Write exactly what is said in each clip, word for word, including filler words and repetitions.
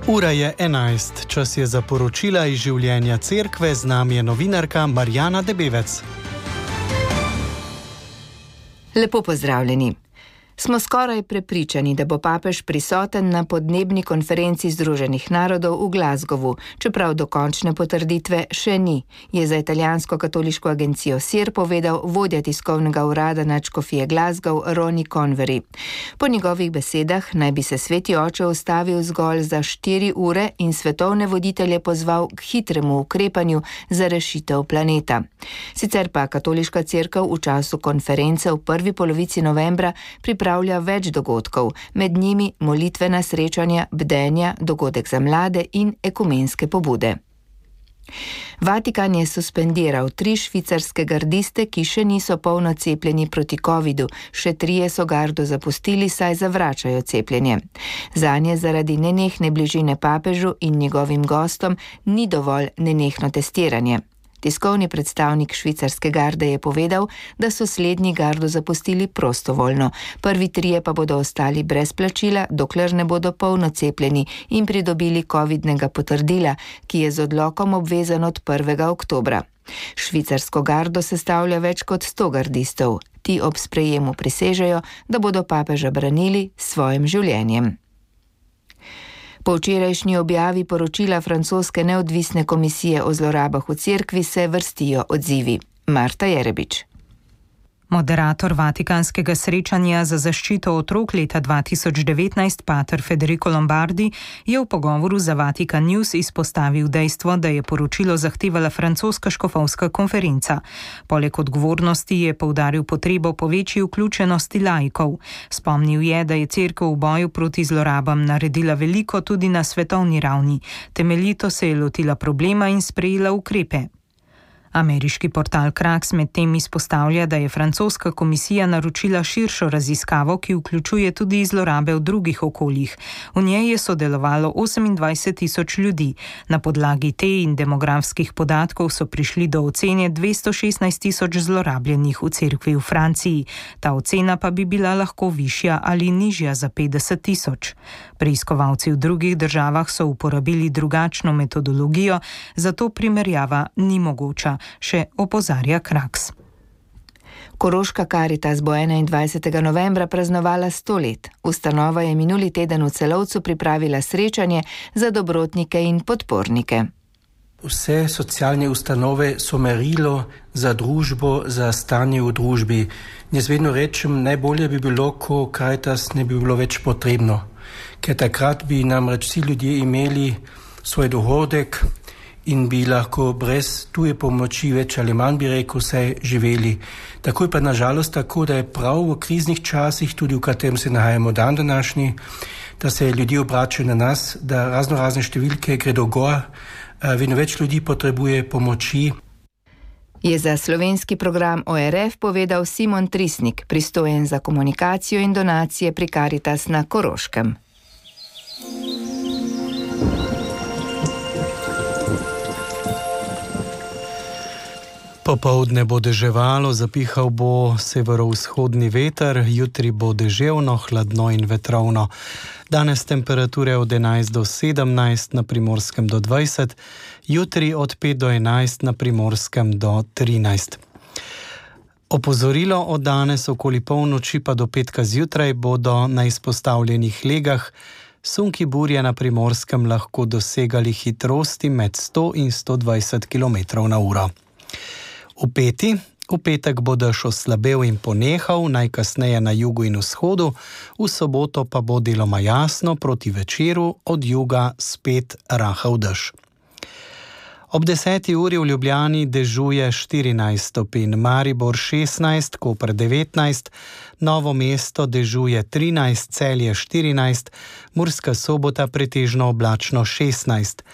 Ura je enajst, čas je za poročila iz življenja cerkve, z nami je novinarka Marjana Debevec. Lepo pozdravljeni. Smo skoraj prepričani, da bo papež prisoten na podnebni konferenci Združenih narodov v Glasgowu, čeprav dokončne potrditve še ni, je za italijansko katoliško agencijo S I R povedal vodja tiskovnega urada nadškofije Glasgow Ronnie Convery. Po njegovih besedah naj bi se sveti oče ustavil zgolj za štiri ure in svetovne voditelje pozval k hitremu ukrepanju za rešitev planeta. Sicer pa katoliška cerkev v času konference v prvi polovici novembra pripravlja pripravlja več dogodkov, med njimi molitvena srečanja, bdenja, dogodek za mlade in ekumenske pobude. Vatikan je suspendiral tri švicarske gardiste, ki še niso polno cepljeni proti covidu, še trije so gardo zapustili, saj zavračajo cepljenje. Zanje zaradi nenehne bližine papežu in njegovim gostom ni dovolj nenehno testiranje. Tiskovni predstavnik švicarske garde je povedal, da so slednji gardo zapustili prostovoljno. Prvi trije pa bodo ostali brez plačila, dokler ne bodo polno cepljeni in pridobili covidnega potrdila, ki je z odlokom obvezan od prvega oktobra. Švicarsko gardo sestavlja več kot sto gardistov. Ti ob sprejemu prisežejo, da bodo papeža branili s svojim življenjem. Po včerajšnji objavi poročila francoske neodvisne komisije o zlorabah v cerkvi se vrstijo odzivi. Marta Jerebič. Moderator vatikanskega srečanja za zaščito otrok leta dva tisoč devetnajst, pater Federico Lombardi, je v pogovoru za Vatikan News izpostavil dejstvo, da je poročilo zahtevala francoska škofovska konferenca. Poleg odgovornosti je poudaril potrebo po večji vključenosti laikov. Spomnil je, da je cerkev v boju proti zlorabam naredila veliko tudi na svetovni ravni. Temeljito se je lotila problema in sprejela ukrepe. Ameriški portal Kraks medtem izpostavlja, da je francoska komisija naročila širšo raziskavo, ki vključuje tudi zlorabe v drugih okoljih. V njej je sodelovalo osemindvajset tisoč ljudi. Na podlagi te in demografskih podatkov so prišli do ocene dvesto šestnajst tisoč zlorabljenih v cerkvi v Franciji. Ta ocena pa bi bila lahko višja ali nižja za petdeset tisoč. Preiskovalci v drugih državah so uporabili drugačno metodologijo, zato primerjava ni mogoča, še opozarja Kraks. Koroška Karitas bo enaindvajsetega novembra praznovala sto let. Ustanova je minuli teden v Celovcu pripravila srečanje za dobrotnike in podpornike. Vse socialne ustanove so merilo za družbo, za stanje v družbi. Jaz vedno rečem, najbolje bi bilo, ko Karitas ne bi bilo več potrebno. Ker takrat bi namreč vsi ljudje imeli svoj dohodek in bi lahko brez tuje pomoči več ali manj, bi rekel, vse živeli. Tako je pa nažalost tako, da je prav v kriznih časih, tudi v katerem se nahajamo dan današnji, da se ljudje obračajo na nas, da razno razne številke gredo gor, vedno več ljudi potrebuje pomoči. Je za slovenski program O R F povedal Simon Trisnik, pristojen za komunikacijo in donacije pri Karitas na Koroškem. Popoldne bo deževalo, zapihal bo severovzhodni veter, jutri bo deževno, hladno in vetrovno. Danes temperature od enajst do sedemnajst, na Primorskem do dvajset, jutri od pet do enajst, na Primorskem do trinajst. Opozorilo od danes okoli polnoči pa do petka zjutraj bodo na izpostavljenih legah sunki burje na Primorskem lahko dosegali hitrosti med sto in sto dvajset kilometrov na uro. V peti, v petek bo dež oslabel in ponehal, najkasneje na jugu in vzhodu, v soboto pa bo deloma jasno, proti večeru od juga spet rahel dež. Ob deseti uri v Ljubljani dežuje štirinajst stopinj, Maribor šestnajst, Koper devetnajst, Novo mesto dežuje trinajst, Celje štirinajst, Murska Sobota pretežno oblačno šestnajst,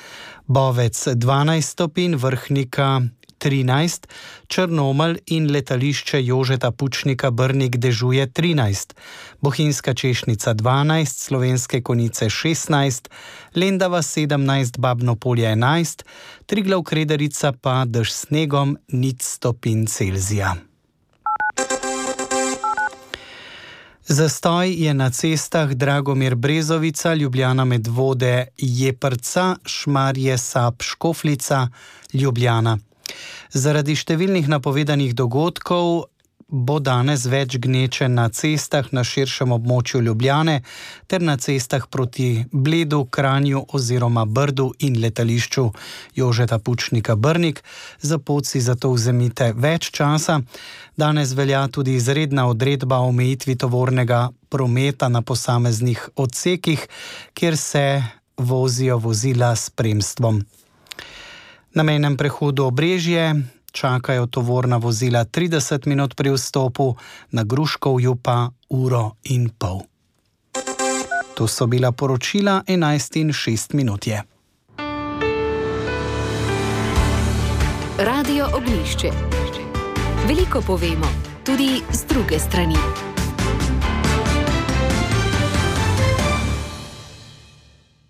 Bovec dvanajst stopinj, Vrhnika trinajst, Črnomelj in letališče Jožeta Pučnika Brnik dežuje trinajst, Bohinjska Češnica dvanajst, Slovenske Konjice šestnajst, Lendava sedemnajst, Babno Polje enajst, Triglav Kredarica pa dež snegom nič stopinj Celzija. Zastoj je na cestah Dragomir Brezovica, Ljubljana Medvode, Jeprca, Šmarje Sap, Škofljica, Ljubljana. Zaradi številnih napovedanih dogodkov bo danes več gneče na cestah na širšem območju Ljubljane ter na cestah proti Bledu, Kranju oziroma Brdu in letališču Jožeta Pučnika Brnik. Za pot si zato vzemite več časa. Danes velja tudi izredna odredba o omejitvi tovornega prometa na posameznih odsekih, kjer se vozijo vozila s spremstvom. Na mejnem prehodu Obrežje čakajo tovorna vozila trideset minut pri vstopu, na Gruškovju pa uro in pol. To so bila poročila, enajst in šest minut je. Radio Oglišče. Veliko povemo, tudi z druge strani.